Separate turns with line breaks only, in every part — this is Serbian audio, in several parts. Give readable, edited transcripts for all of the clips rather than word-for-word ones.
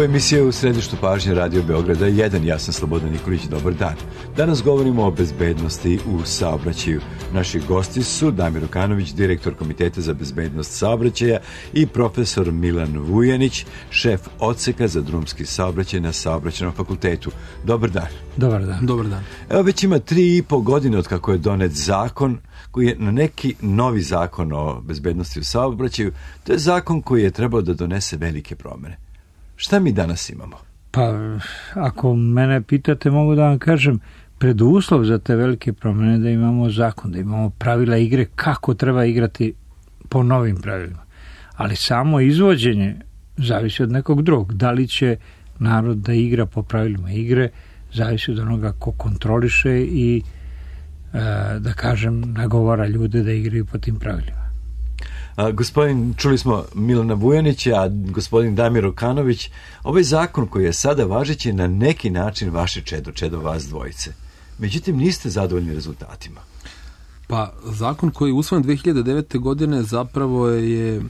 Ovo je emisija u središtu pažnje Radio Beograda 1. Ja sam Slobodan Nikolić, dobar dan. Danas govorimo o bezbednosti u saobraćaju. Naši gosti su Damir Okanović, direktor Komiteta za bezbednost saobraćaja, i profesor Milan Vujanić, šef odseka za drumski saobraćaj na Saobraćajnom fakultetu. Dobar dan.
Dobar dan. Dobar dan.
Evo, već ima 3,5 godine od kako je donet zakon koji je na neki novi zakon o bezbednosti u saobraćaju. To je zakon koji je trebao da donese velike promene. Šta mi danas imamo?
Pa, ako mene pitate, mogu da vam kažem, preduslov za te velike promene da imamo zakon, da imamo pravila igre, kako treba igrati po novim pravilima. Ali samo izvođenje zavisi od nekog drugog. Da li će narod da igra po pravilima igre, zavisi od onoga ko kontroliše i, da kažem, nagovara ljude da igraju po tim pravilima.
Gospodin, čuli smo Milana Vujanića, a gospodin Damir Okanović, ovaj zakon koji je sada važeći je na neki način vaše čedo vas dvojice. Međutim, niste zadovoljni rezultatima.
Pa, zakon koji je usvojen 2009. godine zapravo je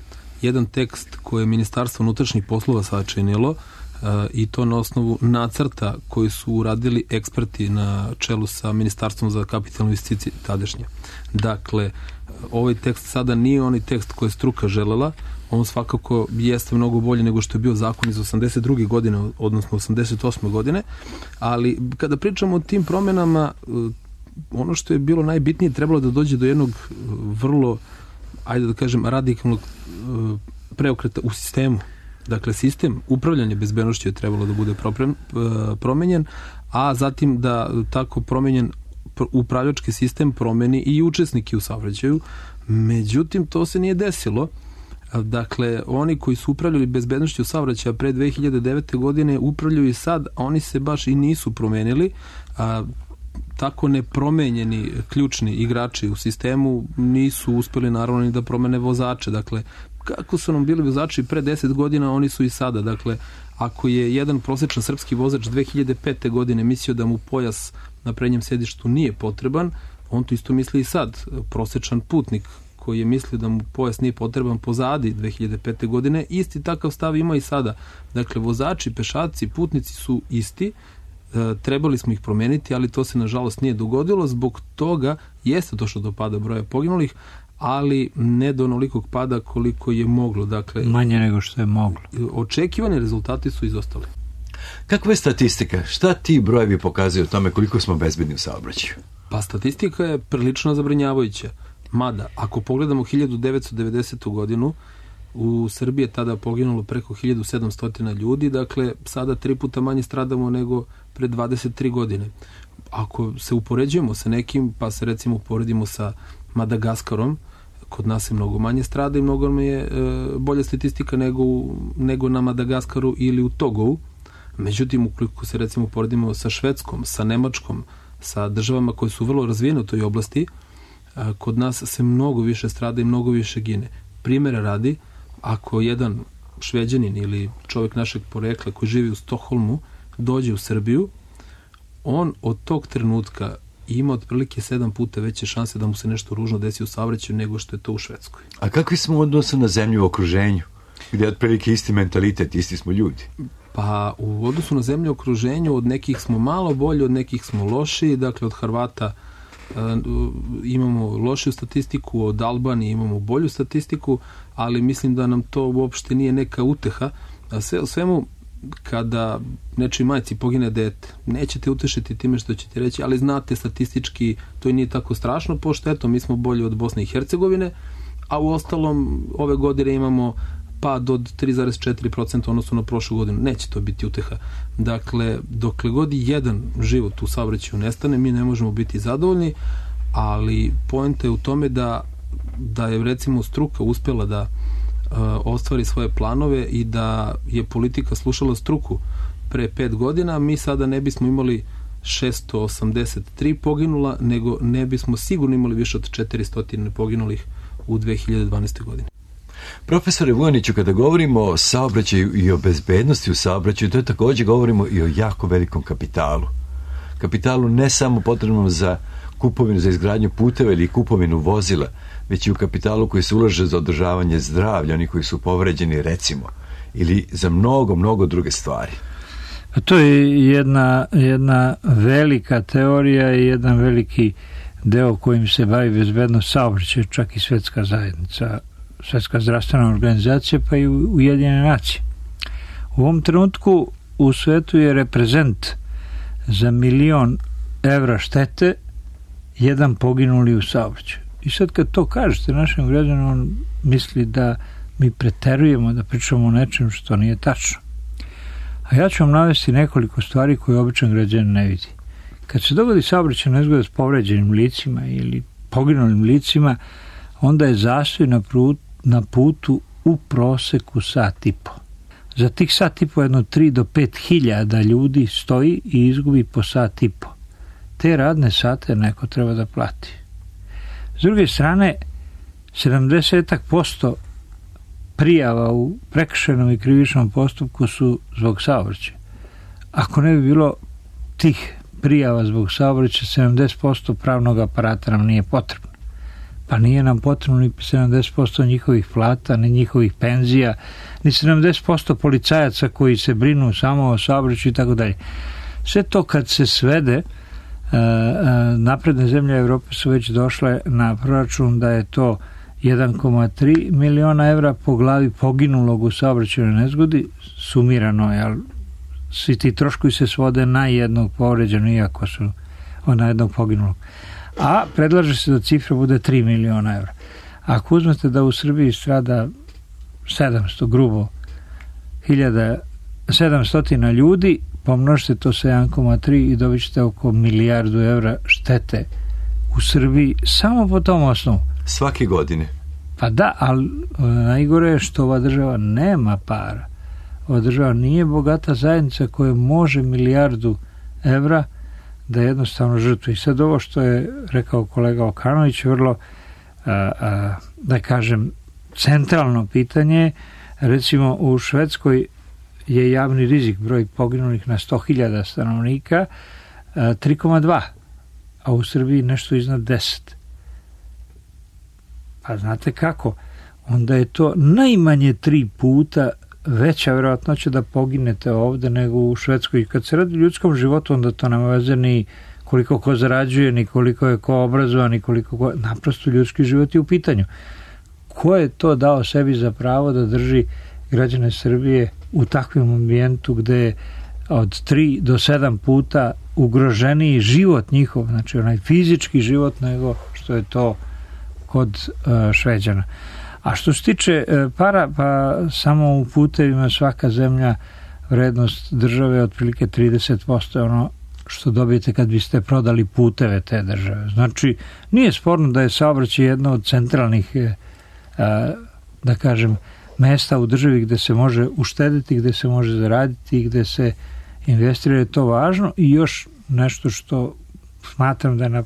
jedan tekst koji je Ministarstvo unutrašnjih poslova sačinilo i to na osnovu nacrta koji su uradili eksperti na čelu sa Ministarstvom za kapitalne investicije tadašnje. Dakle, ovaj tekst sada nije onaj tekst koji je struka želela, on svakako jeste mnogo bolje nego što je bio zakon iz 82. godine, odnosno 88. godine, ali kada pričamo o tim promenama, ono što je bilo najbitnije, trebalo da dođe do jednog vrlo, ajde da kažem, radikalnog preokreta u sistemu. Dakle, sistem upravljanja bezbednošću je trebalo da bude promenjen, a zatim da tako promenjen upravljački sistem promeni i učesniki u saobraćaju. Međutim, to se nije desilo. Dakle, oni koji su upravljali bezbednošću saobraćaja pre 2009. godine upravljaju i sad, a oni se baš i nisu promenili. Tako nepromenjeni ključni igrači u sistemu nisu uspeli naravno ni da promene vozače. Dakle, kako su nam bili vozači pre 10 godina, oni su i sada. Dakle, ako je jedan prosječan srpski vozač 2005. godine mislio da mu pojas na prednjem sedištu nije potreban, on to isto misli i sad. Prosječan putnik koji je mislio da mu pojas nije potreban pozadi 2005. godine, isti takav stav ima i sada. Dakle, vozači, pešaci, putnici su isti, trebali smo ih promeniti, ali to se nažalost nije dogodilo, zbog toga jeste došlo do pada broja poginulih, ali ne do onolikog pada koliko je moglo. Dakle,
manje nego što je moglo.
Očekivani rezultati su izostali.
Kakva je statistika? Šta ti brojevi pokazuju o tome koliko smo bezbedni u saobraćaju?
Pa statistika je prilično zabrinjavajuća. Mada, ako pogledamo 1990. godinu, u Srbiji je tada poginulo preko 1700 ljudi, dakle sada 3 puta manje stradamo nego pre 23 godine. Ako se upoređujemo sa nekim, pa se recimo uporedimo sa Madagaskarom, kod nas je mnogo manje strada i mnogo mi je bolja statistika nego na Madagaskaru ili u Togovu. Međutim, ukoliko se recimo uporedimo sa Švedskom, sa Nemačkom, sa državama koje su vrlo razvijene u toj oblasti, kod nas se mnogo više strada i mnogo više gine. Primjera radi, ako jedan Šveđanin ili čovjek našeg porekla koji živi u Stokholmu dođe u Srbiju, on od tog trenutka ima otprilike 7 puta veće šanse da mu se nešto ružno desi u saobraćaju nego što je to u Švedskoj.
A kakvi smo odnosi na zemlju u okruženju, gdje je otprilike isti mentalitet, isti smo ljudi?
Pa u odnosu na zemlju u okruženju od nekih smo malo bolji, od nekih smo loši. Dakle, od Hrvata imamo lošiju statistiku, od Albanije imamo bolju statistiku, ali mislim da nam to uopšte nije neka uteha. Sve u svemu, kada nečoj majci pogine dete, nećete utešiti time što ćete reći, ali znate statistički to i nije tako strašno, pošto eto, mi smo bolji od Bosne i Hercegovine, a u ostalom ove godine imamo pad od 3,4% odnosno na prošlu godinu. Neće to biti uteha. Dakle, dokle god jedan život u saobraćaju nestane, mi ne možemo biti zadovoljni, ali poenta je u tome da je recimo struka uspjela da ostvari svoje planove i da je politika slušala struku pre 5 godina, mi sada ne bismo imali 683 poginula, nego ne bismo sigurno imali više od 400 poginulih u 2012. godini.
Profesore Vujaniću, kada govorimo o saobraćaju i o bezbednosti u saobraćaju, to je također govorimo i o jako velikom kapitalu. Kapitalu ne samo potrebnom za kupovinu, za izgradnju puteva ili kupovinu vozila, već i u kapitalu koji se ulaže za održavanje zdravlja, oni koji su povređeni, recimo, ili za mnogo druge stvari?
To je jedna velika teorija i jedan veliki deo kojim se bavi bezbednost saobraćaja, čak i Svetska zajednica, Svetska zdravstvena organizacija, pa i Ujedinjene nacije. U ovom trenutku u svetu je reprezent za 1.000.000 evra štete jedan poginuli u saobraćaju. I sad kad to kažete našem građanu, on misli da mi preterujemo, da pričamo o nečem što nije tačno. A ja ću vam navesti nekoliko stvari koje običan građanin ne vidi. Kad se dogodi saobraćajna nezgoda s povređenim licima ili poginulim licima, onda je zastoj na putu u proseku sat i po. Za tih sat i po jedno 3 do 5 hiljada ljudi stoji i izgubi po sat i po. Te radne sate neko treba da plati. S druge strane, 70% prijava u prekršajnom i krivičnom postupku su zbog saobraćaja. Ako ne bi bilo tih prijava zbog saobraćaja, 70% pravnog aparata nam nije potrebno. Pa nije nam potrebno ni 70% njihovih plata, ni njihovih penzija, ni 70% policajaca koji se brinu samo o saobraćaju i tako dalje. Sve to kad se svede, napredne zemlje Evrope su već došle na proračun da je to 1,3 miliona evra po glavi poginulog u saobraćajnoj nezgodi, sumirano je, ali svi ti troškovi se svode na jednog povređenog, iako su na jednog poginulog. A predlaže se da cifra bude 3 miliona evra. Ako uzmete da u Srbiji strada 700 grubo 700 ljudi, pomnožite to sa 1,3 i dobit ćete oko 1 milijardu evra štete u Srbiji samo po tom osnovu.
Svake godine? Pa
da, ali najgore je što ova država nema para. Ova država nije bogata zajednica koja može 1 milijardu evra da jednostavno žrtvu. I sad ovo što je rekao kolega Okanović, vrlo, da kažem, centralno pitanje. Recimo u Švedskoj je javni rizik, broj poginulih na 100.000 stanovnika, 3,2, a u Srbiji nešto iznad 10. Pa znate kako? Onda je to najmanje 3 puta veća vjerojatnoća da poginete ovde nego u Švedskoj. Kad se radi o ljudskom životu, onda to nema veze ni koliko ko zarađuje, ni koliko je ko obrazovan, ni koliko ko... Naprosto ljudski život je u pitanju. Ko je to dao sebi za pravo da drži građane Srbije u takvom ambijentu gde je od 3 do 7 puta ugroženiji život njihov, znači onaj fizički život, nego što je to kod Šveđana. A što se tiče para, pa samo u putevima svaka zemlja, vrednost države je otprilike 30% ono što dobijete kad biste prodali puteve te države. Znači, nije sporno da je saobraćaj jedno od centralnih, da kažem, mesta u državi gde se može uštediti, gde se može zaraditi, gde se investira, je to važno. I još nešto što smatram da je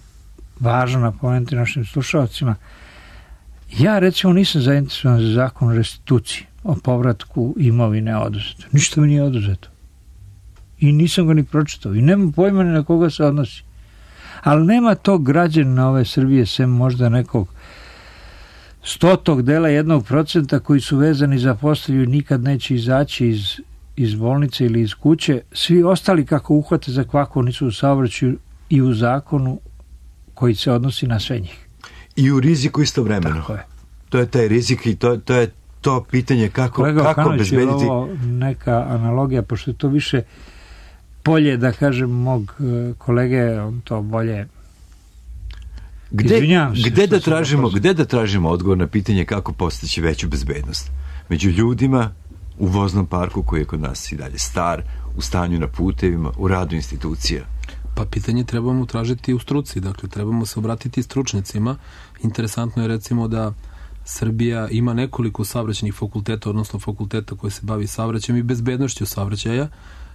važno napomenuti našim slušalcima. Ja recimo nisam zainteresovan za zakon o restituciji, o povratku imovine oduzeto. Ništa mi nije oduzeto. I nisam ga ni pročitao. I nemam pojma ni na koga se odnosi. Ali nema tog građana ove Srbije, sem možda nekog 100 dela 1% koji su vezani za postelju i nikad neće izaći iz bolnice ili iz kuće. Svi ostali kako uhvate za kvaku nisu u saobraćaju i u zakonu koji se odnosi na sve njih.
I u riziku istovremeno.
Tako je.
To je taj rizik i to je to pitanje kako obezbediti.
Je ovo neka analogija, pošto je to više polje, da kažem, mog kolege, on to bolje...
Gde da tražimo odgovor na pitanje kako postići veću bezbednost? Među ljudima, u voznom parku koji je kod nas i dalje star, u stanju na putevima, u radu institucija.
Pa pitanje trebamo tražiti u struci, dakle trebamo se obratiti stručnicima. Interesantno je recimo da Srbija ima nekoliko saobraćajnih fakulteta, odnosno fakulteta koji se bavi saobraćajem i bezbednošću saobraćaja.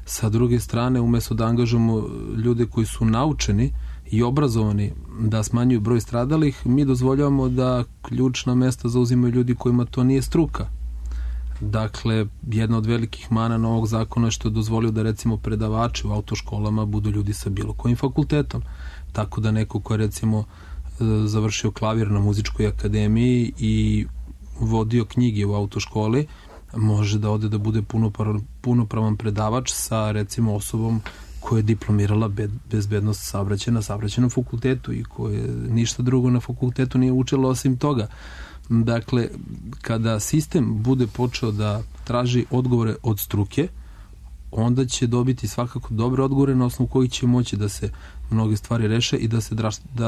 Sa druge strane, umjesto da angažujemo ljude koji su naučeni i obrazovani da smanjuju broj stradalih, mi dozvoljavamo da ključna mesta zauzimaju ljudi kojima to nije struka. Dakle, jedna od velikih mana novog zakona je što je dozvolio da recimo predavači u autoškolama budu ljudi sa bilo kojim fakultetom. Tako da neko ko je recimo završio klavir na muzičkoj akademiji i vodio knjige u autoškoli može da ode da bude punopravan predavač sa recimo osobom koja je diplomirala bezbednost saobraćaja na saobraćajnom fakultetu i koje ništa drugo na fakultetu nije učilo osim toga. Dakle, kada sistem bude počeo da traži odgovore od struke, onda će dobiti svakako dobre odgovore na osnovu kojih će moći da se mnoge stvari reše i da se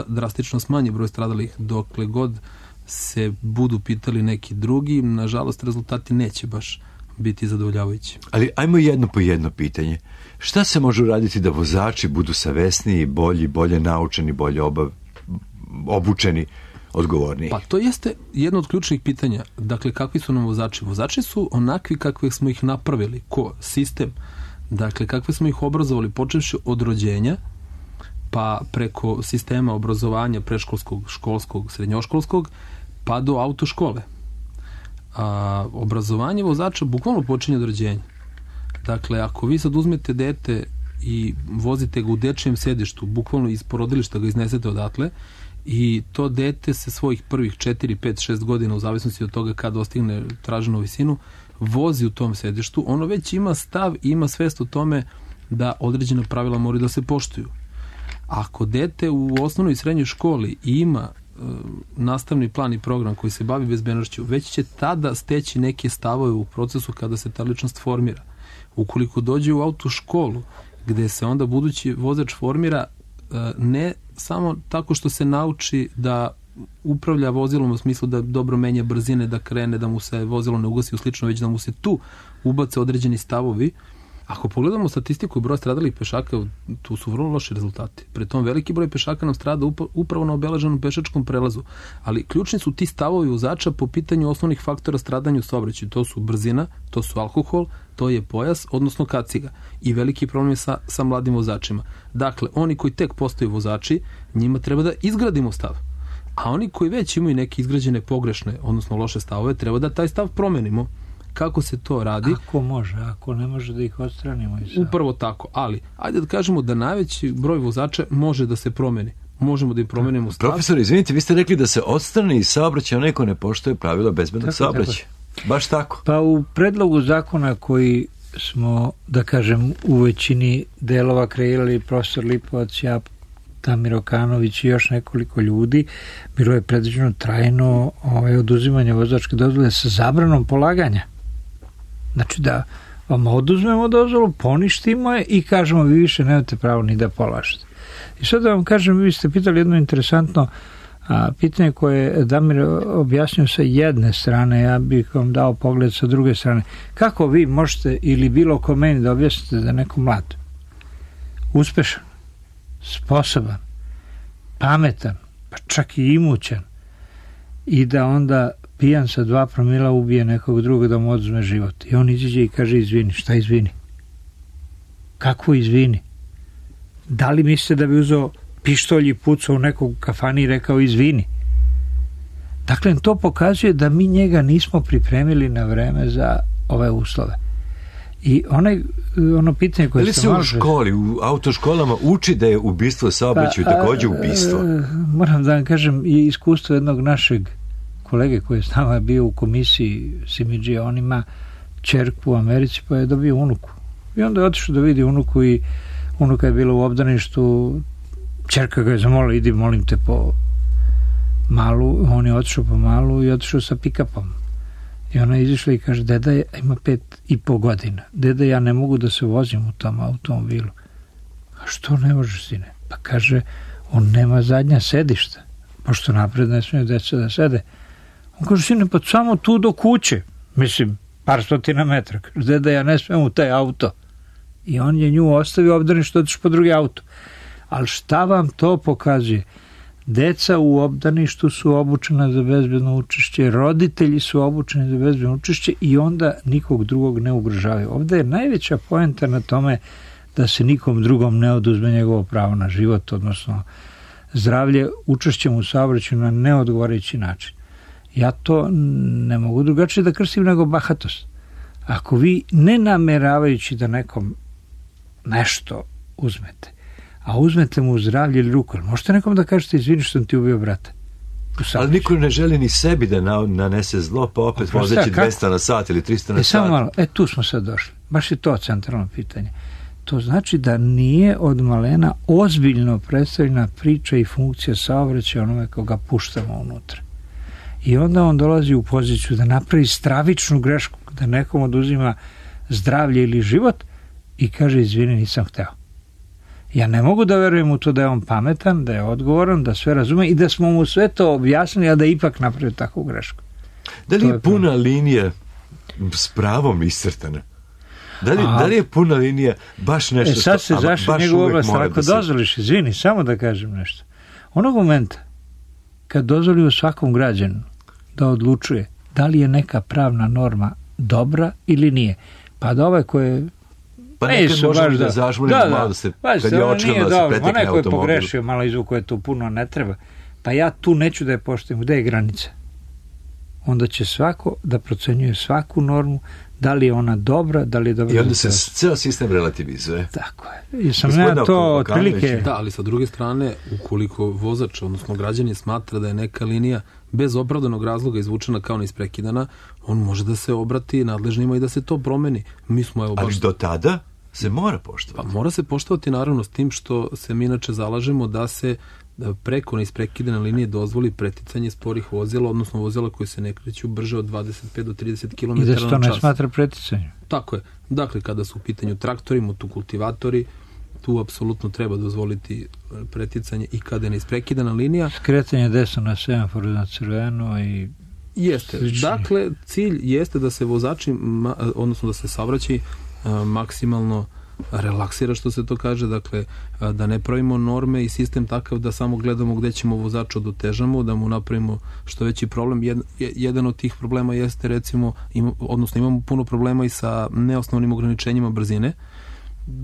drastično smanji broj stradalih. Dokle god se budu pitali neki drugi, nažalost rezultati neće baš biti zadovoljavajući.
Ali ajmo jedno po jedno pitanje. Šta se može uraditi da vozači budu savesniji, bolji, bolje naučeni, bolje obučeni, odgovorniji?
Pa to jeste jedno od ključnih pitanja. Dakle, kakvi su nam vozači? Vozači su onakvi kakve smo ih napravili. Ko? Sistem. Dakle, kakve smo ih obrazovali, počevši od rođenja, pa preko sistema obrazovanja predškolskog, školskog, srednjoškolskog, pa do autoškole. Obrazovanje vozača bukvalno počinje od rođenja. Dakle, ako vi sad uzmete dete i vozite ga u dečijem sedištu, bukvalno iz porodilišta ga iznesete odatle, i to dete se svojih prvih 4, 5, 6 godina, u zavisnosti od toga kad dostigne traženu visinu, vozi u tom sedištu, ono već ima stav i ima svest o tome da određena pravila moraju da se poštuju. Ako dete u osnovnoj i srednjoj školi ima nastavni plan i program koji se bavi bezbednošću, već će tada steći neke stavove u procesu kada se ta ličnost formira. Ukoliko dođe u autoškolu, gde se onda budući vozač formira ne samo tako što se nauči da upravlja vozilom u smislu da dobro menja brzine, da krene, da mu se vozilo ne ugasi u slično, već da mu se tu ubace određeni stavovi. Ako pogledamo statistiku i broj stradalih pešaka, tu su vrlo loši rezultati. Pri tom veliki broj pešaka nam strada upravo na obeleženom pešačkom prelazu. Ali ključni su ti stavovi vozača po pitanju osnovnih faktora stradanja u saobraćaju. To su brzina, to su alkohol, to je pojas, odnosno kaciga. I veliki problem je sa mladim vozačima. Dakle, oni koji tek postaju vozači, njima treba da izgradimo stav. A oni koji već imaju neke izgrađene pogrešne, odnosno loše stavove, treba da taj stav promenimo. Kako se to radi?
Ako može, ako ne može da ih odstranimo.
Upravo tako, ali ajde da kažemo da najveći broj vozača može da se promeni. Možemo da im promenimo stav.
Profesor, izvinite, vi ste rekli da se odstrani iz saobraćaja neko ne poštuje pravila bezbednog saobraćaja. Baš tako?
Pa u predlogu zakona koji smo, da kažem, u većini delova kreirali profesor Lipovac, ja, Damir Okanović i još nekoliko ljudi, bilo je predviđeno trajno oduzimanje vozačke dozvole sa zabranom polaganja. Znači da vam oduzmemo dozvolu, poništimo je i kažemo vi više nemate pravo ni da polažete. I sad da vam kažem, vi ste pitali jedno interesantno pitanje koje je Damir objasnio sa jedne strane, ja bih vam dao pogled sa druge strane. Kako vi možete ili bilo ko meni da objasnite da je neko mlad, uspešan, sposoban, pametan, pa čak i imućan i da onda pijan sa 2 promila ubije nekog drugog da mu oduzme život. I on izađe i kaže izvini. Šta izvini? Kako izvini? Da li mislite da bi uzeo pištolj i pucao u nekog kafani i rekao izvini? Dakle, to pokazuje da mi njega nismo pripremili na vreme za ove uslove. I ono pitanje koje
ste malo... Da li se u školi, u autoškolama uči da je ubistvo saobraćaju takođe ubistvo?
Moram da vam kažem, je iskustvo jednog našeg kolege koji je s nama bio u komisiji Simidžija, on ima ćerku u Americi pa je dobio unuku. I onda je otišao da vidi unuku i unuka je bila u obdaništu, ćerka ga je zamolila, idi molim te po Malu, on je otišao po Malu i otišao sa pick-upom. I ona je izišla i kaže, deda ima 5,5 godina. Deda, ja ne mogu da se vozim u tom automobilu. A što ne možeš, sine? Pa kaže, on nema zadnja sedišta, pošto napred ne smije deca da sede. On kaže, sine, pa samo tu do kuće. Mislim, par stotina metra. Kaže, deda, ja ne smijem u taj auto. I on je nju ostavio obdaništu, otišao po drugi auto. Ali šta vam to pokazuje? Deca u obdaništu su obučena za bezbedno učešće, roditelji su obučeni za bezbedno učešće i onda nikog drugog ne ugrožavaju. Ovde je najveća poenta na tome da se nikom drugom ne oduzme njegovo pravo na život, odnosno zdravlje učešćem u saobraćaju na neodgovarajući način. Ja to ne mogu drugačije da krstim nego bahatost. Ako vi ne nameravajući da nekom nešto uzmete, a uzmete mu zdravlje ili ruku, možete nekom da kažete izvini što sam ti ubio brata?
Ali niko ne želi ni sebi da nanese zlo, pa opet vozeći 200 na sat ili 300 na sat.
Samo malo, tu smo sad došli. Baš je to centralno pitanje. To znači da nije od malena ozbiljno predstavljena priča i funkcija saobraćaja onome koga puštamo unutra. I onda on dolazi u poziciju da napravi stravičnu grešku, da nekom oduzima zdravlje ili život i kaže, izvini, nisam hteo. Ja ne mogu da verujem u to da je on pametan, da je odgovoran, da sve razume i da smo mu sve to objasnili, a da ipak napravio takvu grešku.
Da li je puna linija s pravom iscrtana? Da li je puna linija baš nešto
sad se zašli njegovu oblast, ako dozvoliš, izvini, samo da kažem nešto. Onog momenta kad dozvolimo svakom građanu da odlučuje da li je neka pravna norma dobra ili nije, pa da ovaj koje
pa nekad možemo da zažmurimo malo da se, kad je očigledno da se pretekne automobil.
Neko je pogrešio, malo izvuko je tu puno ne treba, pa ja tu neću da je poštujem. Gde je granica? Onda će svako da procenjuje svaku normu, da li je ona dobra, da li je dobra.
I onda se ceo sistem relativizuje.
Tako je. I sam ja to otprilike...
Da, ali sa druge strane, ukoliko vozač, odnosno građanin smatra da je neka linija bez opravdanog razloga izvučena kao neisprekidana, on može da se obrati nadležnima i da se to promeni. Mi smo, evo, baš...
Ali do tada se mora poštovati.
Pa mora se poštovati naravno s tim što se mi inače zalažemo da se preko neisprekidane linije dozvoli preticanje sporih vozila, odnosno vozila koji se ne kreću brže od 25 do 30 km na čas.
I da se to ne smatra preticanjem.
Tako je. Dakle, kada su u pitanju traktori, motokultivatori, tu apsolutno treba dozvoliti preticanje i kada je neisprekidana linija.
Skretanje desno na semaforu na crveno i...
Jeste. Dakle, cilj jeste da se vozači, odnosno da se saobraćaj maksimalno relaksira, što se to kaže, dakle da ne pravimo norme i sistem takav da samo gledamo gde ćemo vozača da otežamo, da mu napravimo što veći problem. Jedan od tih problema jeste, recimo, odnosno imamo puno problema i sa neosnovnim ograničenjima brzine.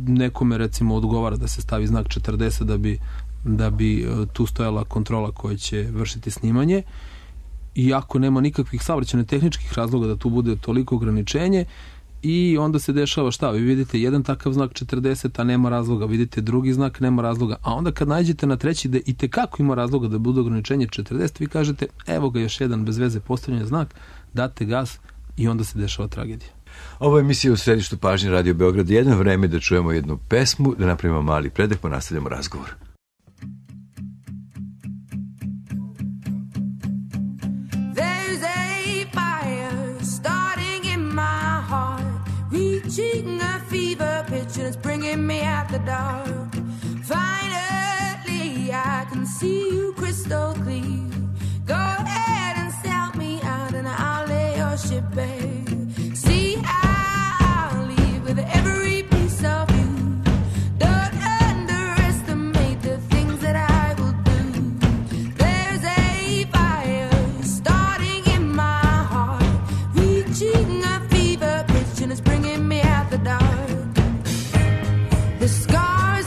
Nekome, recimo, odgovara da se stavi znak 40 da bi tu stojala kontrola koja će vršiti snimanje, iako nema nikakvih saobraćajno-tehničkih razloga da tu bude toliko ograničenje. I onda se dešava šta? Vi vidite jedan takav znak 40, a nema razloga. Vidite drugi znak, nema razloga. A onda kad nađete na treći da i tekako ima razloga da bude ograničenje 40, vi kažete, evo ga još jedan bez veze postavljen znak, date gas i onda se dešava tragedija.
Ovo je emisija u središtu pažnje Radio Beograd. Jedno vreme da čujemo jednu pesmu, da napravimo mali predah, pa nastavljamo razgovor.
Reaching a fever pitch and it's bringing me out the dark. Finally, I can see you crystal clear. Go ahead and sell me out and I'll lay your ship bare. See, I'll leave with every piece of you. Don't underestimate the things that I will do. There's a fire starting in my heart, reaching a fever pitch and it's bringing me out the dark. The scars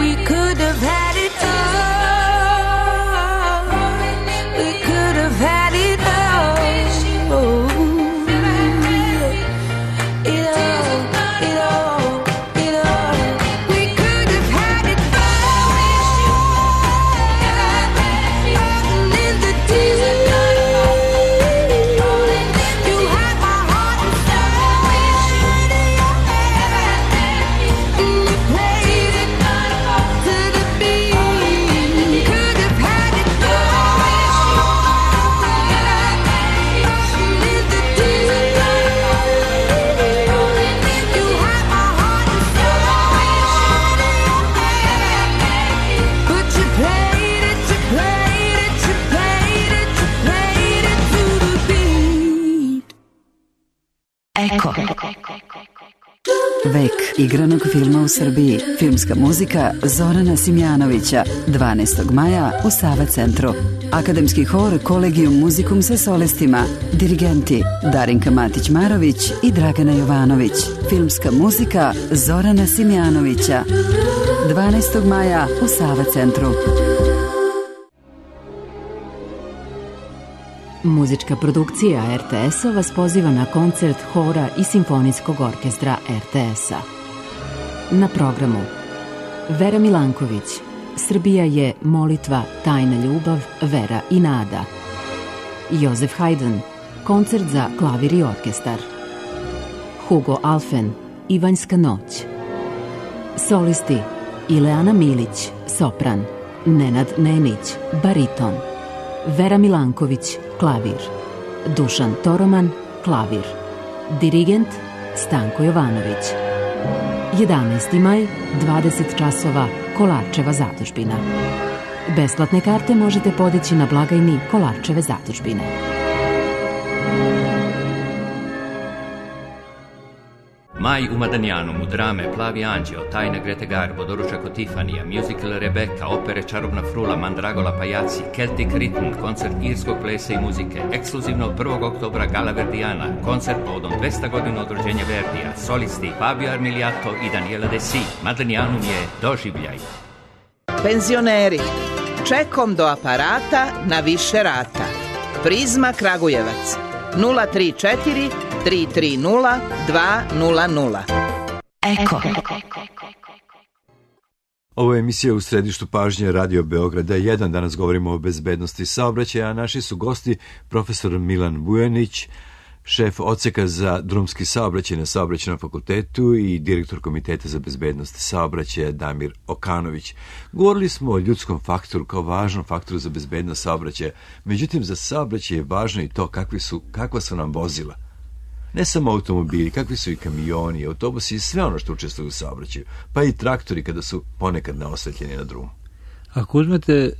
We could have had it all. We could have had it all.
Eko. Vek igranog filma u Srbiji. Filmska muzika Zorana Simjanovića. 12. maja u Sava centru. Akademski hor Kolegium Musicum sa solistima. Dirigenti Darinka Matić-Marović i Dragana Jovanović. Filmska muzika Zorana Simjanovića. 12. maja u Sava centru.
Muzička produkcija RTS-a vas poziva na koncert hora i simfonijskog orkestra RTS-a. Na programu Vera Milanković, Srbija je molitva, tajna ljubav, vera i nada. Josef Haydn, koncert za klavir i orkestar. Hugo Alfen, Ivanjska noć. Solisti Ileana Milić, sopran. Nenad Nenić, bariton. Vera Milanković, klavir. Dušan Toroman, klavir. Dirigent Stanko Jovanović. 11. maj, 20 časova, Kolarčeva zadužbina. Besplatne karte možete podići na blagajni Kolarčeve zadužbine.
Maj u Madanjanu, drame Plavi anđeo, Tajna Grete Garbo, Doručak od Tifanija, musical Rebeka, opere Čarobna frula, Mandragola pajaci, Celtic Rhythm, koncert irskog plesa i muzike, ekskluzivno 1. oktobra Gala Verdijana, koncert povodom 200 godina od rođenja Verdija, solisti Fabio Armiliato i Daniela Desi. Madanjanum je doživljaj.
Penzioneri, čekom do aparata na više rata. Prizma Kragujevac 034 330 200.
Eko.
Ovo je emisija u središtu pažnje Radio Beograda 1. Danas govorimo o bezbednosti saobraćaja, a naši su gosti profesor Milan Vujanić, šef odseka za drumski saobraćaj na Saobraćajnom fakultetu i direktor Komiteta za bezbednost saobraćaja Damir Okanović. Govorili smo o ljudskom faktoru kao važnom faktoru za bezbednost saobraćaja, međutim za saobraćaj je važno i to kakva su nam vozila. Ne samo automobili, kakvi su i kamioni, autobusi i sve ono što učestvuju u saobraćaju, pa i traktori kada su ponekad naosvetljeni na drumu.
Ako uzmete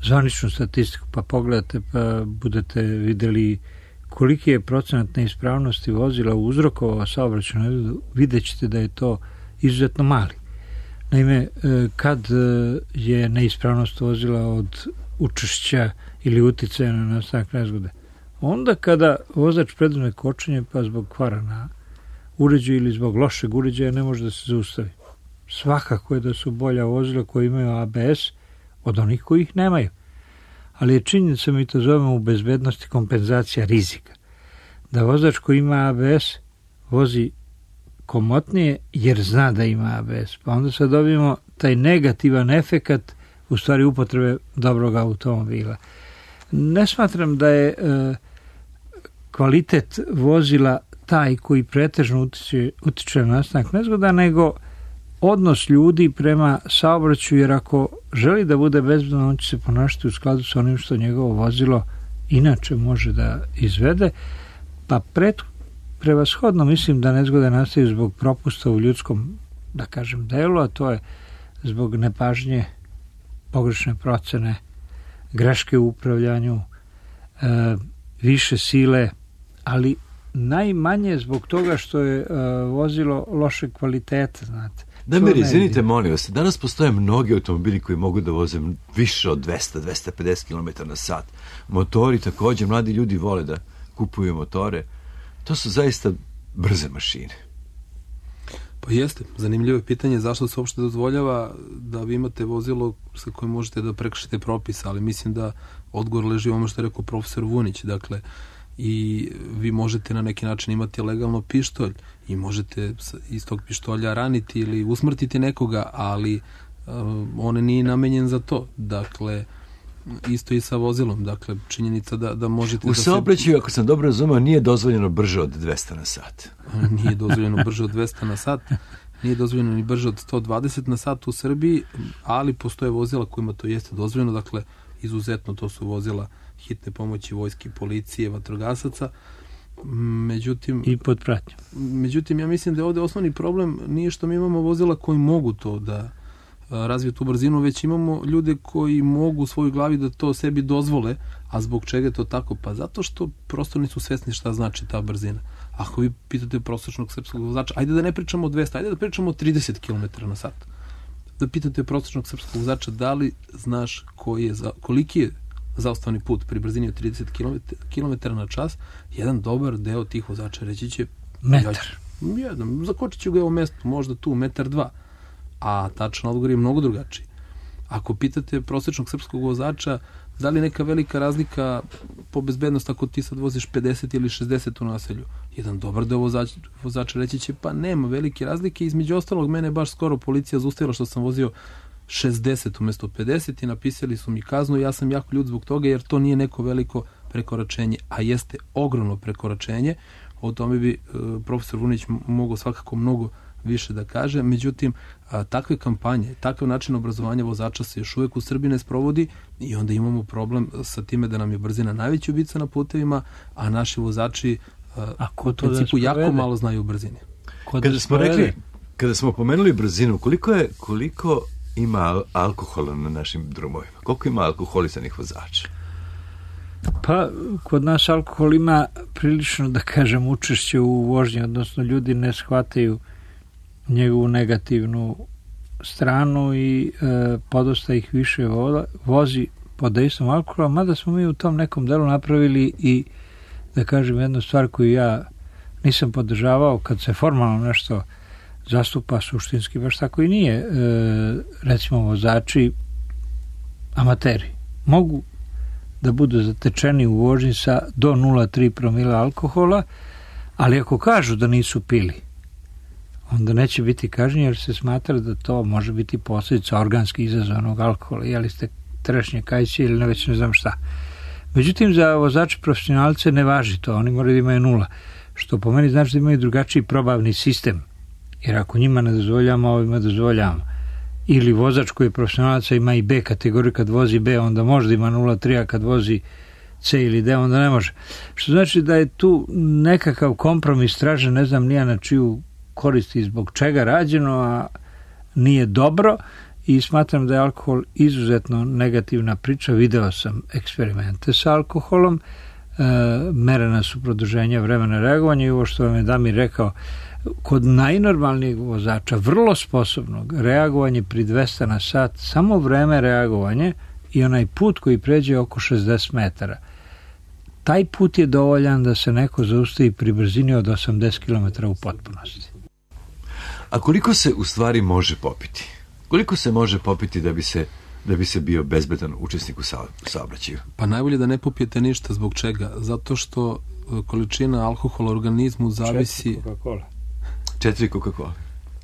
zvaničnu statistiku pa pogledate pa budete videli koliki je procenat neispravnosti vozila uzrokovao saobraćajnu nezgodu, vidjet ćete da je to izuzetno mali. Naime, kad je neispravnost vozila od učešća ili uticaja na nastanak nezgode? Onda kada vozač preduzme kočenje pa zbog kvara na uređaju ili zbog lošeg uređaja ne može da se zaustavi. Svakako je da su bolja vozila koja imaju ABS od onih koji ih nemaju. Ali je činjenica, mi to zovemo u bezbednosti kompenzacija rizika. Da vozač koji ima ABS vozi komotnije jer zna da ima ABS. Pa onda sad dobijemo taj negativan efekat u stvari upotrebe dobrog automobila. Ne smatram da je kvalitet vozila taj koji pretežno utiče na nastanak nezgoda, nego odnos ljudi prema saobraćaju, jer ako želi da bude bezbedno, on će se ponašati u skladu sa onim što njegovo vozilo inače može da izvede, pa prevashodno mislim da nezgode nastaju zbog propusta u ljudskom, da kažem, delu, a to je zbog nepažnje, pogrešne procene, greške u upravljanju, više sile, ali najmanje zbog toga što je vozilo loše kvalitete, znate.
Damir, izvinite, molim vas, danas postoje mnogi automobili koji mogu da voze više od 200-250 km na sat. Motori također, mladi ljudi vole da kupuju motore. To su zaista brze mašine.
Pa jeste, zanimljivo je pitanje zašto se uopšte dozvoljava da vi imate vozilo sa kojim možete da prekršite propis, ali mislim da odgovor leži u ono što je rekao profesor Vunić, dakle, i vi možete na neki način imati legalno pištolj i možete iz tog pištolja raniti ili usmrtiti nekoga, ali on nije namenjen za to. Dakle, isto i sa vozilom. Dakle, činjenica da možete...
U saobraćaju, ako sam dobro razumeo, nije dozvoljeno brže od 200 na sat.
Nije dozvoljeno brže od 200 na sat. Nije dozvoljeno ni brže od 120 na sat u Srbiji, ali postoje vozila kojima to jeste dozvoljeno. Dakle, izuzetno to su vozila hitne pomoći, vojske, policije, vatrogasaca. Međutim,
i pod pratnjom.
Međutim, ja mislim da je ovde osnovni problem nije što mi imamo vozila koji mogu to da razviju tu brzinu, već imamo ljude koji mogu u svojoj glavi da to sebi dozvole. A zbog čega je to tako? Pa zato što prosto nisu svesni šta znači ta brzina. Ako vi pitate prosječnog srpskog vozača, ajde da ne pričamo o 200, ajde da pričamo o 30 km na sat. Da pitate prosječnog srpskog vozača da li znaš koliki je zaustavni put pri brzini od 30 km na čas, jedan dobar deo tih vozača reći će
metar.
Zakočit ću ga u mestu, možda tu, 1,2 m. A tačno odgovor je mnogo drugačiji. Ako pitate prosječnog srpskog vozača da li neka velika razlika po bezbednosti ako ti sad voziš 50 ili 60 u naselju, jedan dobar deo vozača reći će pa nema velike razlike. Između ostalog, mene baš skoro policija zaustavila što sam vozio 60 umjesto 50 i napisali su mi kaznu i ja sam jako ljut zbog toga jer to nije neko veliko prekoračenje, a jeste ogromno prekoračenje. O tome bi profesor Vunić mogao svakako mnogo više da kaže. Međutim, takve kampanje, takav način obrazovanja vozača se još uvijek u Srbiji ne sprovodi i onda imamo problem sa time da nam je brzina najveća ubica na putevima, a naši vozači u principu jako malo znaju o brzini.
Kada smo pomenuli brzinu, koliko ima alkohola na našim drumovima? Koliko ima alkoholisanih vozača?
Pa, kod nas alkohol ima prilično, da kažem, učešće u vožnji, odnosno ljudi ne shvataju njegovu negativnu stranu i podosta ih više vozi pod dejstvom alkohola, mada smo mi u tom nekom delu napravili i, da kažem, jednu stvar koju ja nisam podržavao kad se formalno nešto zastupa, suštinski baš tako i nije. Recimo, vozači amateri mogu da budu zatečeni u vožnji sa do 0,3 promila alkohola, ali ako kažu da nisu pili, onda neće biti kažnjeni jer se smatra da to može biti posljedica organski izazvanog alkohola. Jeli ste trešnje kajće ili već ne znam šta. Međutim, za vozače profesionalce ne važi to, oni moraju da imaju 0, što po meni znači da imaju drugačiji probavni sistem, jer ako njima ne dozvoljamo, ovima dozvoljamo. Ili vozač koji je profesionalaca ima i B kategoriju, kad vozi B onda možda ima 0,3, a kad vozi C ili D onda ne može. Što znači da je tu nekakav kompromis tražen, ne znam nija na čiju koristi zbog čega rađeno, a nije dobro i smatram da je alkohol izuzetno negativna priča. Video sam eksperimente sa alkoholom, merena su produženja vremena reagovanja i ovo što vam je Damir rekao, kod najnormalnijeg vozača, vrlo sposobnog, reagovanje pri 200 na sat, samo vreme reagovanje i onaj put koji pređe oko 60 metara. Taj put je dovoljan da se neko zaustavi pri brzini od 80 km u potpunosti.
A koliko se u stvari može popiti? Koliko se može popiti da bi se bio bezbedan učesnik u saobraćaju?
Pa najbolje da ne popijete ništa. Zbog čega? Zato što količina alkohola u organizmu zavisi...
4 Coca-Cola.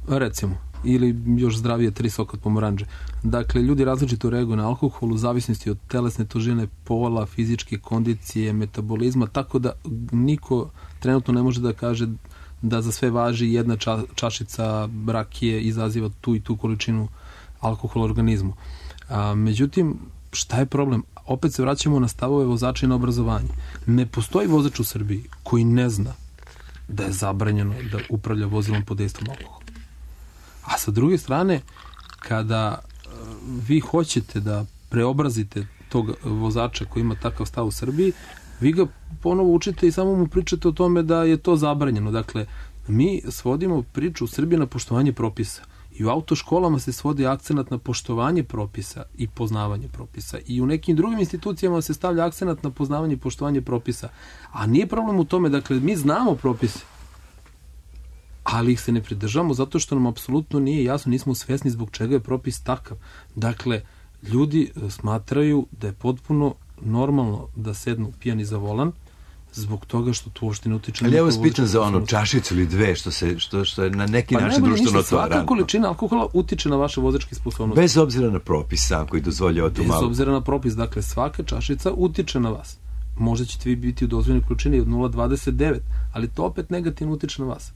Recimo. Ili još zdravije 3 soka od pomoranđe. Dakle, ljudi različito reaguju na alkohol u zavisnosti od telesne težine, pola, fizičke kondicije, metabolizma, tako da niko trenutno ne može da kaže da za sve važi jedna čašica rakije izaziva tu i tu količinu alkohola u organizmu. Međutim, šta je problem? Opet se vraćamo na stavove vozača i na obrazovanje. Ne postoji vozač u Srbiji koji ne zna da je zabranjeno da upravlja vozilom pod dejstvom alkohola. A sa druge strane, kada vi hoćete da preobrazite tog vozača koji ima takav stav u Srbiji, vi ga ponovo učite i samo mu pričate o tome da je to zabranjeno. Dakle, mi svodimo priču u Srbiji na poštovanje propisa. I u autoškolama se svodi akcenat na poštovanje propisa i poznavanje propisa. I u nekim drugim institucijama se stavlja akcenat na poznavanje i poštovanje propisa. A nije problem u tome, dakle, mi znamo propise. ali ih se ne pridržavamo zato što nam apsolutno nije jasno, nismo svesni zbog čega je propis takav. Dakle, ljudi smatraju da je potpuno normalno da sednu pijani za volan zbog toga što to uopšte ne utiče.
Ali ja vas pitam za ono čašicu ili dve što je na neki način društveno tolerantno.
Svaka količina alkohola utiče na vaše vozačke sposobnosti.
Bez obzira na propis sam koji dozvoljava tu malo.
Bez obzira na propis, dakle svaka čašica utiče na vas. Možda ćete vi biti u dozvoljenoj količini od 0,29, ali to opet negativno utiče na vas.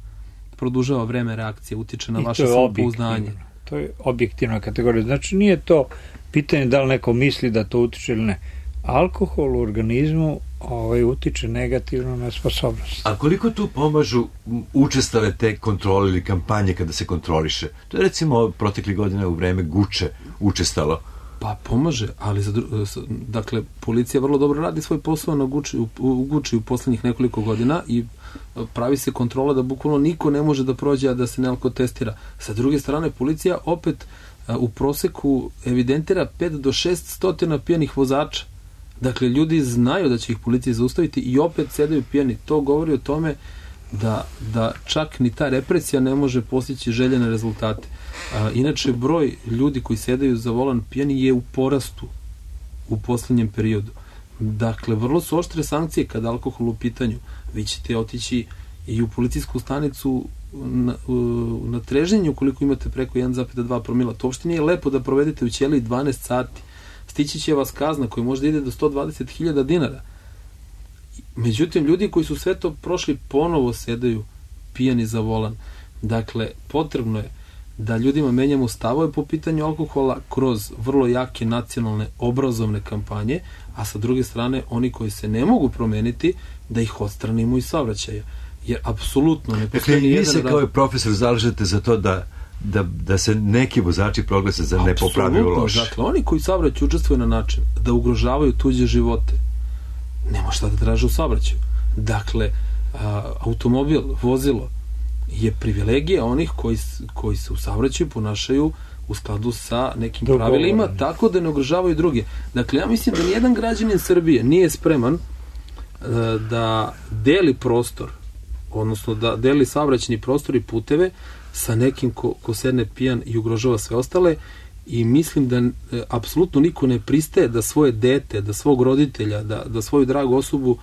Produžava vreme reakcije, utiče na vaše samopouzdanje.
To je objektivna kategorija. Znači nije to pitanje da li neko misli da to utiče ili ne. Alkohol u organizmu utiče negativno na sposobnost.
A koliko tu pomažu učestale te kontrole ili kampanje kada se kontroliše? To je recimo protekli godine u vreme Guče učestalo.
Pa pomaže, ali dakle, policija vrlo dobro radi svoj posao na Guči u poslednjih nekoliko godina i pravi se kontrola da bukvalno niko ne može da prođe, a da se ne alkotestira. Sa druge strane, policija opet u proseku evidentira 5 do 600 pijanih vozača. Dakle, ljudi znaju da će ih policija zaustaviti i opet sedaju pijani. To govori o tome da čak ni ta represija ne može postići željene rezultate. Inače, broj ljudi koji sedaju za volan pijani je u porastu u poslednjem periodu. Dakle, vrlo su oštre sankcije kada alkohol u pitanju. Vi ćete otići i u policijsku stanicu na treženju ukoliko imate preko 1,2 promila. To uopšte nije lepo da provedete u ćeliji 12 sati. Stići će vas kazna koja možda ide do 120.000 dinara. Međutim, ljudi koji su sve to prošli ponovo sedaju pijani za volan. Dakle, potrebno je da ljudima menjamo stavove po pitanju alkohola kroz vrlo jake nacionalne obrazovne kampanje, a sa druge strane, oni koji se ne mogu promeniti, da ih odstranimo iz saobraćaja. Jer apsolutno ne postoji
nijedan... Dakle, vi se kao profesor zalažete za to da se neki vozači proglase za nepopravljivo loše.
Dakle, oni koji saobraćaju učestvuju na način da ugrožavaju tuđe živote, nema šta da traže u saobraćaju. Dakle, automobil, vozilo je privilegija onih koji se u saobraćaju ponašaju u skladu sa nekim pravilima, tako da ne ugrožavaju druge. Dakle, ja mislim da nijedan građanin Srbije nije spreman da deli prostor, odnosno da deli saobraćajni prostor i puteve sa nekim ko sedne pijan i ugrožava sve ostale, i mislim da apsolutno niko ne pristaje da svoje dete, da svog roditelja, da svoju dragu osobu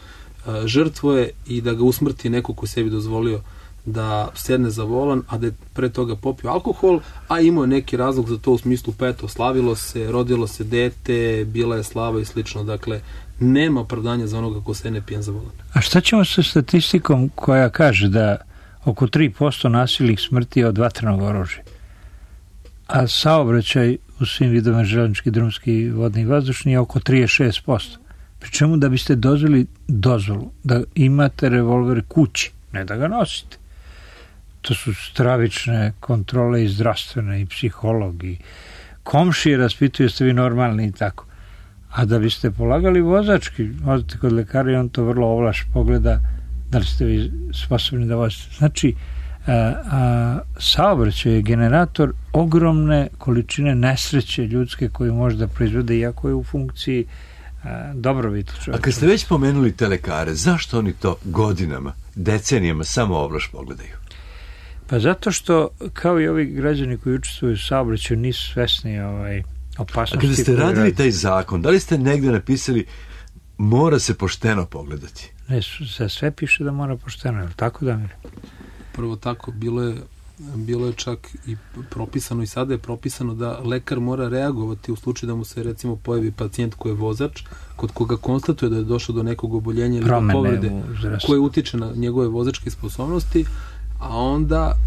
žrtvuje i da ga usmrti neko ko sebi dozvolio da sedne za volan, a da je pre toga popio alkohol, a imao je neki razlog za to u smislu, pa eto, slavilo se, rodilo se dete, bila je slava i slično. Dakle, nema opravdanja za onoga ko sedne pijan za volan.
A šta ćemo sa statistikom koja kaže da oko 3% nasilnih smrti je od vatrenog oružja, a saobraćaj u svim vidovima železnički, drumski, vodni i vazdušni je oko 36%. Pri čemu da biste dozvolu da imate revolver kući, ne da ga nosite. To su stravične kontrole i zdravstvene i psiholog i komšije raspituju ste vi normalni i tako. A da biste polagali vozački, odete kod lekara i on to vrlo ovlaš pogleda da li ste vi sposobni da vozite. Znači, saobraćaj je generator ogromne količine nesreće ljudske koju može da proizvede, iako je u funkciji dobrobiti čovjeka.
A kad ste već pomenuli te lekare, zašto oni to godinama, decenijama samo ovlaš pogledaju?
Pa zato što, kao i ovi građani koji učestvuju u saobraćaju, nisu svesni opasnosti.
A kada ste radili taj zakon, da li ste negde napisali mora se pošteno pogledati?
Ne, za sve piše da mora pošteno, je li tako, Damir?
Prvo tako, bilo je čak i propisano, i sada je propisano da lekar mora reagovati u slučaju da mu se recimo pojavi pacijent koji je vozač, kod koga konstatuje da je došlo do nekog oboljenja ili do povrede koje utiče na njegove vozačke sposobnosti, a onda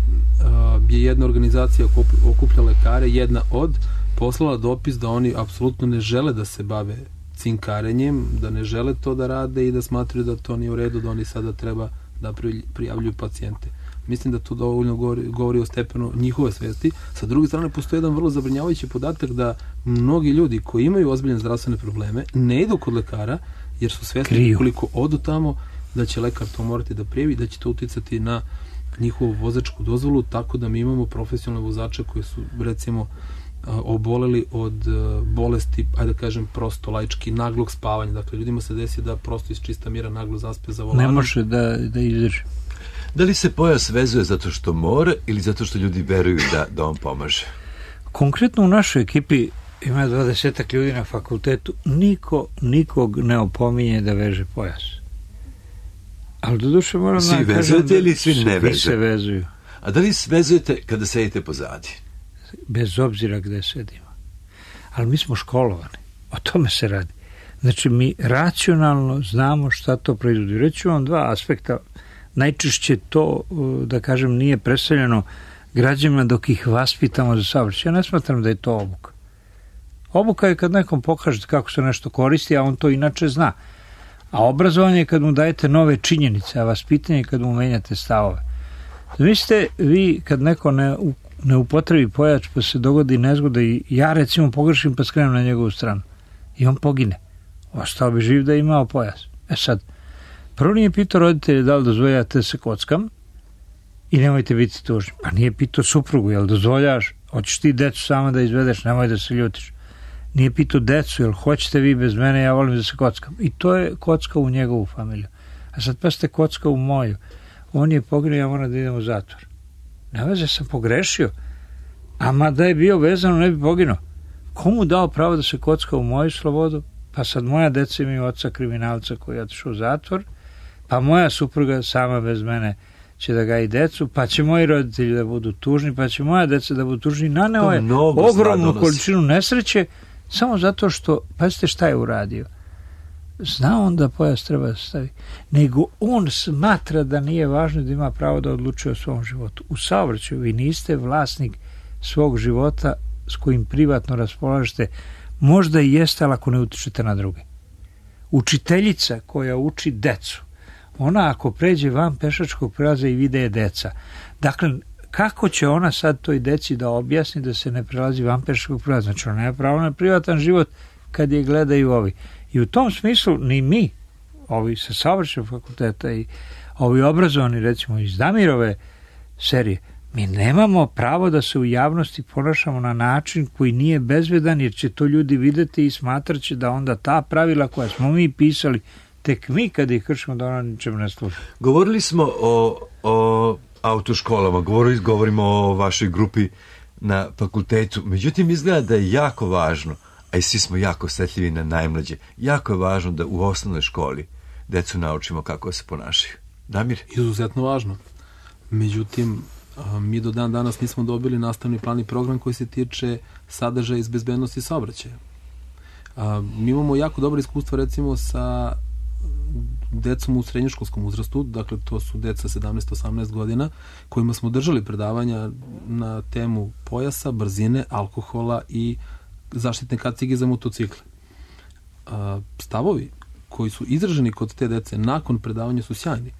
je jedna organizacija okuplja lekare, jedna od, poslala dopis da oni apsolutno ne žele da se bave cinkarenjem, da ne žele to da rade i da smatraju da to nije u redu, da oni sada treba da prijavljuju pacijente. Mislim da to dovoljno govori o stepenu njihove svesti. Sa druge strane, postoji jedan vrlo zabrinjavajući podatak da mnogi ljudi koji imaju ozbiljne zdravstvene probleme ne idu kod lekara jer su svesni koliko odu tamo da će lekar to morati da prijavi, da će to uticati na njihovu vozačku dozvolu, tako da mi imamo profesionalne vozače koji su recimo oboleli od bolesti, ajde da kažem prosto laički, naglog spavanja. Dakle, ljudima se desi da prosto iz čista mira naglo zaspe za volanom.
Ne može da izdrži.
Da li se pojas vezuje zato što mora ili zato što ljudi veruju da on pomaže?
Konkretno u našoj ekipi ima 20 ljudi na fakultetu, nikog ne opominje da veže pojas. Ali doduše moram
svi vezujete ili svi ne vežu?
Svi se vezuju.
A da li vezujete kada sedite pozadi?
Bez obzira gde sedimo. Ali mi smo školovani. O tome se radi. Znači, mi racionalno znamo šta to proizvodi. Reću vam dva aspekta. Najčešće to, da kažem, nije predstavljeno građanima dok ih vaspitamo za saobraćaj. Ja ne smatram da je to obuka. Obuka je kad nekom pokažete kako se nešto koristi, a on to inače zna. A obrazovanje je kad mu dajete nove činjenice, a vaspitanje je kad mu menjate stavove. Mislite, vi kad neko ne upotrebi pojač pa se dogodi nezgoda i ja recimo pogrešim pa skrenem na njegovu stranu i on pogine. Ostao bi živ da je imao pojas. Sad, prvo nije pitao roditelje da li dozvoljavate se kockam i nemojte biti tužni. Pa nije pitao suprugu, jel dozvoljavaš, hoćeš ti decu sama da izvedeš, nemoj da se ljutiš. Nije pitao decu, jel hoćete vi bez mene, ja volim da se kockam. I to je kocka u njegovu familiju. A sad pa ste kocka u moju. On je poginuo, ja moram da idem u zatvor. Ne veze, sam pogrešio. A da je bio vezano, ne bi poginuo. Komu dao pravo da se kocka u moju slobodu? Pa sad moja deca imaju oca kriminalca koji je otišao u zatvor, pa moja supruga sama bez mene će da gaji decu, pa će moji roditelji da budu tužni, pa će moja deca da budu tužni. Naneo je ogromnu količinu nesreće samo zato što, pazite šta je uradio. Zna on da pojas treba da stavi, nego on smatra da nije važno da ima pravo da odlučuje o svom životu. U saobraćaju vi niste vlasnik svog života s kojim privatno raspolažete, možda i jeste, ali ako ne utičete na druge. Učiteljica koja uči decu, ona ako pređe van pešačkog prelaza i vide je deca. Dakle, kako će ona sad toj deci da objasni da se ne prelazi van pešačkog prelaza? Znači, ona nema pravo na privatan život kad je gledaju ovi. I u tom smislu ni mi, ovi sa saobraćajnog fakulteta i ovi obrazovani, recimo iz Damirove serije, mi nemamo pravo da se u javnosti ponašamo na način koji nije bezbedan, jer će to ljudi videti i smatrat će da onda ta pravila koja smo mi pisali, tek mi kad ih kršimo, da ona ničem ne služi.
Govorili smo o autoškolama, govorimo o vašoj grupi na fakultetu, međutim izgleda da je jako važno, a i svi smo jako osjetljivi na najmlađe, jako je važno da u osnovnoj školi decu naučimo kako se ponašaju. Damir?
Izuzetno važno. Međutim, mi do dan danas nismo dobili nastavni plan i program koji se tiče sadržaja iz bezbednosti saobraćaja. Mi imamo jako dobro iskustvo recimo sa decom u srednjoškolskom uzrastu, dakle to su deca 17-18 godina, kojima smo držali predavanja na temu pojasa, brzine, alkohola i zaštitne kacige za motocikle. Stavovi koji su izraženi kod te dece nakon predavanja su sjajni.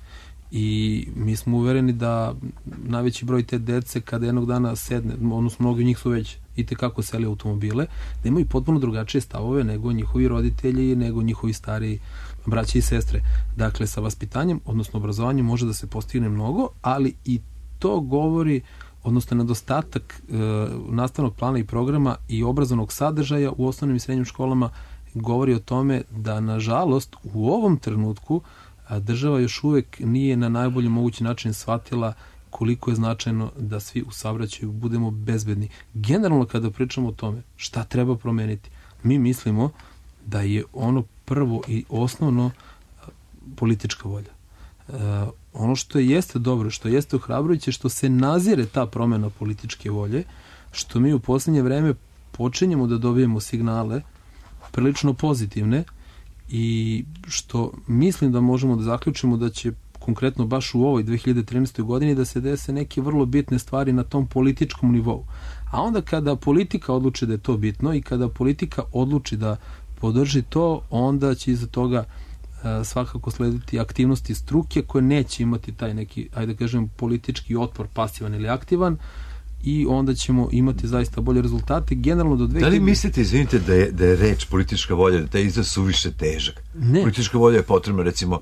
I mi smo uvereni da najveći broj te dece kada jednog dana sedne, odnosno mnogi od njih su već i tekako seli automobile, da imaju potpuno drugačije stavove nego njihovi roditelji, nego njihovi stariji braće i sestre. Dakle, sa vaspitanjem, odnosno obrazovanjem može da se postigne mnogo, ali i to govori, odnosno nedostatak nastavnog plana i programa i obrazovnog sadržaja u osnovnim i srednjim školama govori o tome da, nažalost, u ovom trenutku država još uvek nije na najbolji mogući način shvatila koliko je značajno da svi u saobraćaju budemo bezbedni. Generalno kada pričamo o tome šta treba promeniti, mi mislimo da je ono prvo i osnovno politička volja. Ono što jeste dobro, što jeste ohrabrujuće, što se nazire ta promena političke volje, što mi u poslednje vreme počinjemo da dobijemo signale prilično pozitivne i što mislim da možemo da zaključimo da će konkretno baš u ovoj 2013. godini da se dese neke vrlo bitne stvari na tom političkom nivou. A onda kada politika odluči da je to bitno i kada politika odluči da podrži to, onda će iza toga svakako slediti aktivnosti struke koje neće imati taj neki, ajde da kažem, politički otpor, pasivan ili aktivan, i onda ćemo imati zaista bolje rezultate. Generalno do 2000... Da li
mislite, izvinite, da je reč politička volja, da taj izraz suviše težak?
Ne.
Politička volja je potrebna, recimo,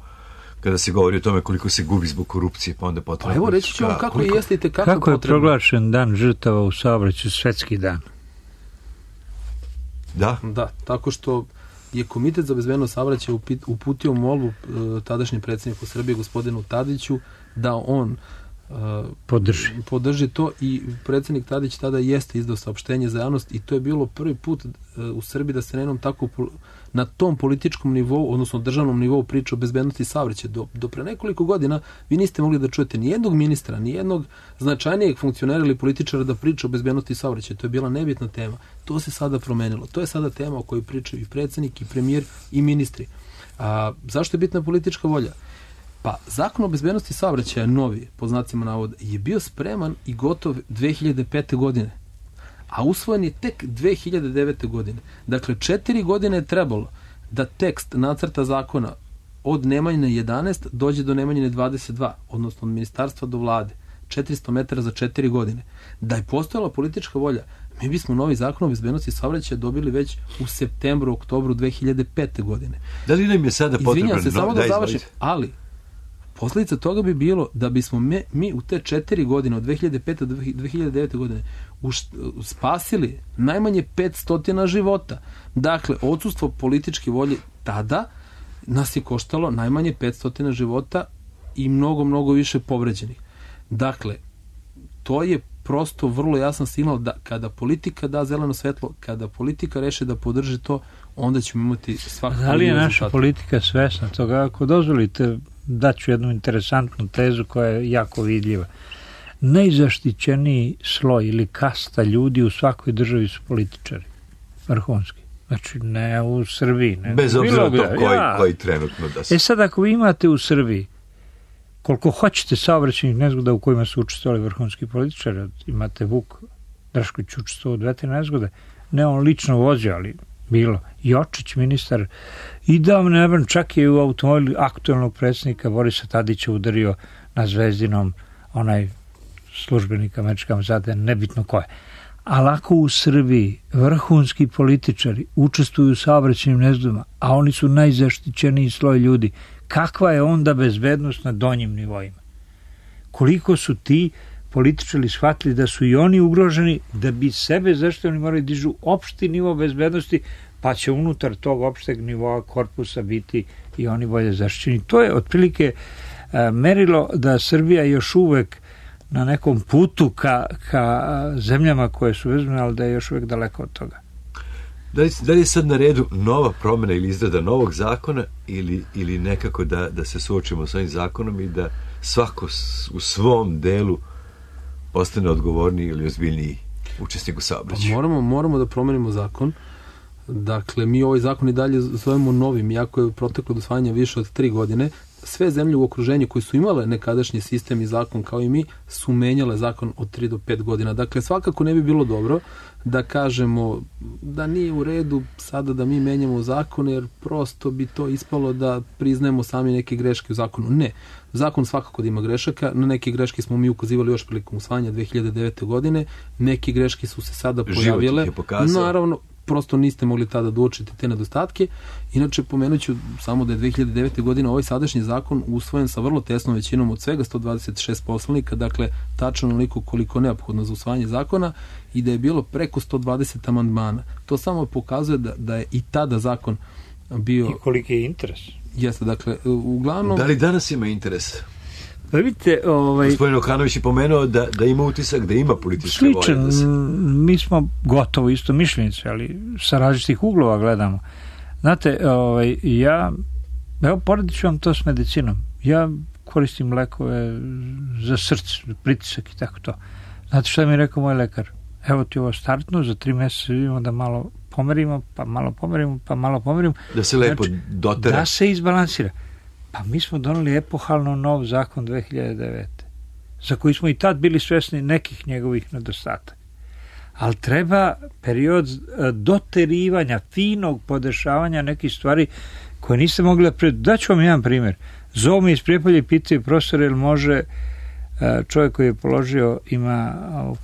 kada se govori o tome koliko se gubi zbog korupcije, pa onda potrebno...
Pa evo, reći ću vam kako jeste i
kako je proglašen dan žrtava u saobraćaju, svetski dan?
Da?
Da, tako što je Komitet za bezbednost saobraćaja uputio molbu tadašnjem predsjedniku Srbije, gospodinu Tadiću, da on podrži to, i predsjednik Tadić tada jeste izdao saopštenje za javnost, i to je bilo prvi put u Srbiji da se na tom političkom nivou, odnosno državnom nivou, priča o bezbednosti saobraćaja. Do pre nekoliko godina vi niste mogli da čujete ni jednog ministra, ni jednog značajnijeg funkcionera ili političara da priča o bezbednosti saobraćaja. To je bila nebitna tema. To se sada promenilo. To je sada tema o kojoj pričaju i predsjednik, i premijer, i ministri. Zašto je bitna politička volja? Pa, Zakon o bezbednosti saobraćaja, novi, po znacima navoda, je bio spreman i gotov 2005. godine, a usvojen je tek 2009. godine. Dakle, 4 godine je trebalo da tekst nacrta zakona od Nemanjine 11 dođe do Nemanjine 22, odnosno od ministarstva do vlade. 400 metara za 4 godine. Da je postojala politička volja, mi bismo novi Zakon o bezbednosti saobraćaja dobili već u septembru, oktobru 2005. godine.
Da li nam je sada potreban?
Izvinjam se, samo da završim, ali posljedica toga bi bilo da bismo mi u te 4 godine, od 2005. do 2009. godine, spasili najmanje 500 života. Dakle, odsustvo političke volje tada nas je koštalo najmanje 500 života i mnogo, mnogo više povređenih. Dakle, to je prosto vrlo jasan signal da kada politika da zeleno svetlo, kada politika reše da podrži to, onda ćemo imati svakako...
Da li je naša politika svesna toga? Ako dozvolite, daću jednu interesantnu tezu koja je jako vidljiva. Najzaštićeniji sloj ili kasta ljudi u svakoj državi su političari. Vrhunski. Znači, ne u Srbiji. Ne.
Bez obzira to koji trenutno da se...
Sad, ako vi imate u Srbiji koliko hoćete saobraćajnih nezgoda u kojima su učestvovali vrhunski političari, imate Vuk Drašković učestvovao u 2 nezgode, ne on lično vozio, ali bilo. Jočić, ministar, i davno čak je u automobilu aktualnog predsjednika Borisa Tadića udario na Zvezdinom onaj službenik američke ambasade, nebitno ko je. Ali ako u Srbiji vrhunski političari učestvuju u saobraćajnim nezgodama, a oni su najzaštićeniji sloj ljudi, kakva je onda bezbednost na donjim nivoima? Koliko su ti političari shvatili da su i oni ugroženi, da bi sebe zaštitili, oni moraju dižu opšti nivo bezbednosti, pa će unutar tog opšteg nivoa korpusa biti i oni bolje zaštićeni. To je otprilike merilo da Srbija još uvek na nekom putu ka zemljama koje su vezane, ali da je još uvek daleko od toga.
Da li je sad na redu nova promjena ili izrada novog zakona ili nekako da se suočimo s ovim zakonom i da svako u svom delu postane odgovorniji ili ozbiljniji učesnik u saobraćaju?
Moramo da promenimo zakon. Dakle, mi ovaj zakon i dalje zovemo novim, iako je proteklo do usvajanja više od 3 godine. Sve zemlje u okruženju koje su imale nekadašnji sistem i zakon kao i mi su menjale zakon od 3 do 5 godina. Dakle, svakako ne bi bilo dobro da kažemo da nije u redu sada da mi menjamo zakon, jer prosto bi to ispalo da priznajemo sami neke greške u zakonu. Ne. Zakon svakako da ima grešaka. Na neke greške smo mi ukazivali još prilikom usvajanja 2009. godine. Neke greške su se sada pojavile.
Život ih je pokazao.
Naravno, prosto niste mogli tada da uočite te nedostatke. Inače, pomenut ću samo da je 2009. godine ovaj sadašnji zakon usvojen sa vrlo tesnom većinom od svega 126 poslanika, dakle, tačno onoliko koliko neophodno za usvajanje zakona, i da je bilo preko 120 amandmana. To samo pokazuje da je i tada zakon bio...
I koliki je interes.
Jeste, dakle, uglavnom...
Da li danas ima interes?
Pa vidite,
Gospodin Okanović je pomenuo da ima utisak, da ima političke volje.
Sličan, mi smo gotovo isto mišljenici, ali sa različitih uglova gledamo. Znate, poredit ću vam to s medicinom. Ja koristim lekove za srce, pritisak i tako to. Znate šta mi je rekao moj lekar? Evo ti ovo startno, za 3 mjeseca vidimo da malo pomerimo, pa malo pomerimo.
Da se lepo dotera.
Da se izbalansira. Pa mi smo doneli epohalno nov zakon 2009. za koji smo i tad bili svesni nekih njegovih nedostataka. Ali treba period doterivanja, finog podešavanja nekih stvari koje niste mogli da daću vam jedan primjer. Zovu mi iz Prijepolja i pitaju profesor, jel može čovjek koji je položio, ima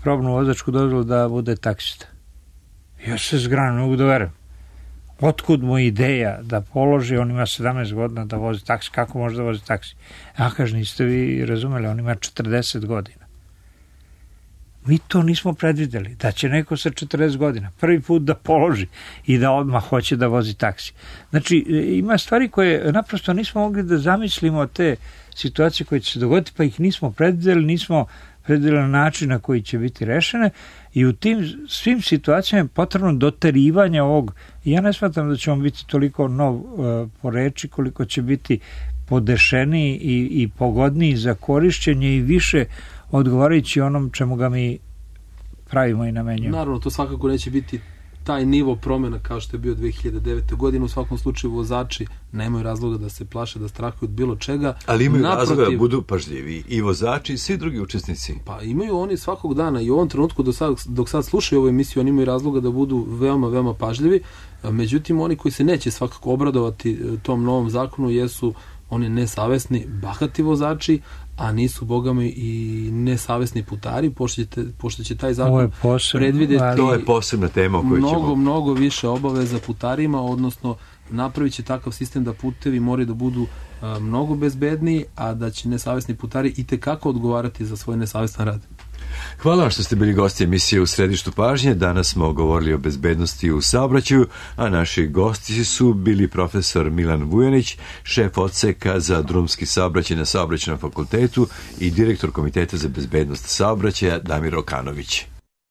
probnu vozačku dozvolu da bude taksista. Ja se zgranim, mogu da verujem. Otkud mu ideja da položi, on ima 17 godina da vozi taksi, kako može da vozi taksi? Ja kažem, niste vi razumeli, on ima 40 godina. Mi to nismo predvideli, da će neko sa 40 godina prvi put da položi i da odmah hoće da vozi taksi. Znači, ima stvari koje naprosto nismo mogli da zamislimo te situacije koje će se dogoditi, pa ih nismo predvideli, nismo predvideli na način na koji će biti rešene i u tim svim situacijama je potrebno doterivanje ovog. Ja ne smatram da će on biti toliko nov po reči, koliko će biti podešeniji i pogodniji za korišćenje i više odgovarajući onom čemu ga mi pravimo i namenjujemo.
Naravno, to svakako neće biti taj nivo promjena kao što je bio 2009. godine. U svakom slučaju vozači nemaju razloga da se plaše, da strahuju od bilo čega.
Ali imaju razloga da budu pažljivi i vozači i svi drugi učesnici.
Pa imaju oni svakog dana i u ovom trenutku dok sad slušaju ovu emisiju, oni imaju razloga da budu veoma, veoma pažljivi. Međutim, oni koji se neće svakako obradovati tom novom zakonu jesu oni nesavesni, bahati vozači, a nisu bogami i nesavesni putari, pošto će taj zakon predvidjeti
to je posebna tema o kojoj ćemo
mnogo više obaveza putarima, odnosno napravit će takav sistem da putevi moraju da budu mnogo bezbedniji, a da će nesavesni putari itekako odgovarati za svoj nesavestan rad.
Hvala vam što ste bili gosti emisije U središtu pažnje. Danas smo govorili o bezbednosti u saobraćaju, a naši gosti su bili profesor Milan Vujanić, šef odseka za drumski saobraćaj na Saobraćajnom fakultetu i direktor Komiteta za bezbednost saobraćaja Damir Okanović.